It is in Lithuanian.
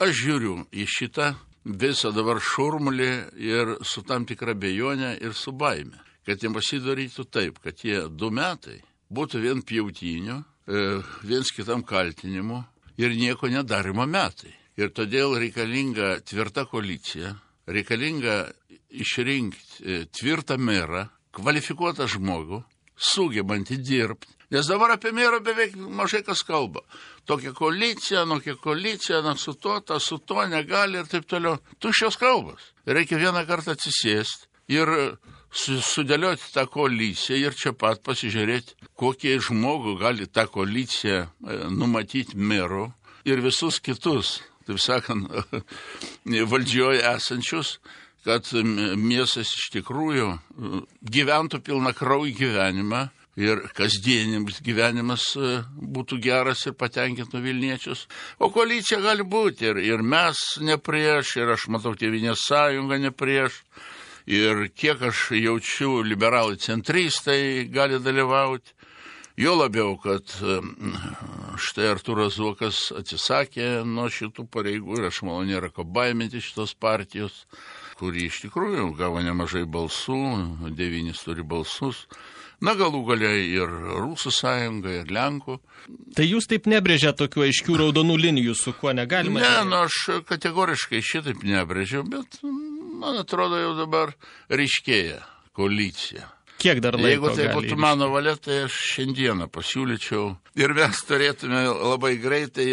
Aš žiūriu į šitą visą dabar šurmulį ir su tam tikra bejonė ir su baime, kad jiems pasidarytų taip, kad tie 2 metai būtų vien pjautinių, viens kitam kaltinimu ir nieko nedarimo metai. Ir todėl reikalinga tvirta koalicija, reikalinga išrinkti tvirtą merą, kvalifikuotą žmogų, sugebantį dirbti. Nes dabar apie merą beveik mažai kas kalba. Tokia koalicija, su to negali ir taip toliau. Tuščios kalbos. Reikia vieną kartą atsisėsti ir sudėlioti tą koaliciją ir čia pat pasižiūrėti, kokie žmogų gali tą koaliciją numatyti merų ir visus kitus, taip sakant, valdžioje esančius, kad miestas iš tikrųjų gyventų pilnakraujį gyvenimą ir kasdieninis gyvenimas būtų geras ir patenkintų Vilniečius. O koalicija gali būti ir mes ne prieš, ir aš matau Tėvynės sąjungą ne prieš, ir kiek aš jaučiu liberalai centristai gali dalyvauti. Jo labiau, kad štai Artūras Zuokas atsisakė nuo šitų pareigų ir aš manau nėra ko baiminti šitos partijos, kuri iš tikrųjų gavo nemažai balsų, 9 turi balsus. Na, galų galiai ir Rusų sąjunga, ir Lenkų. Tai jūs taip nebrėžia tokių aiškių raudonų linijų, su kuo negalima? Ne, aš kategoriškai šitaip nebrėžiau, bet man atrodo jau dabar ryškėja koalicija. Kiek dar laiko Jeigu tai būtų mano valia, tai aš šiandieną pasiūlyčiau ir mes turėtume labai greitai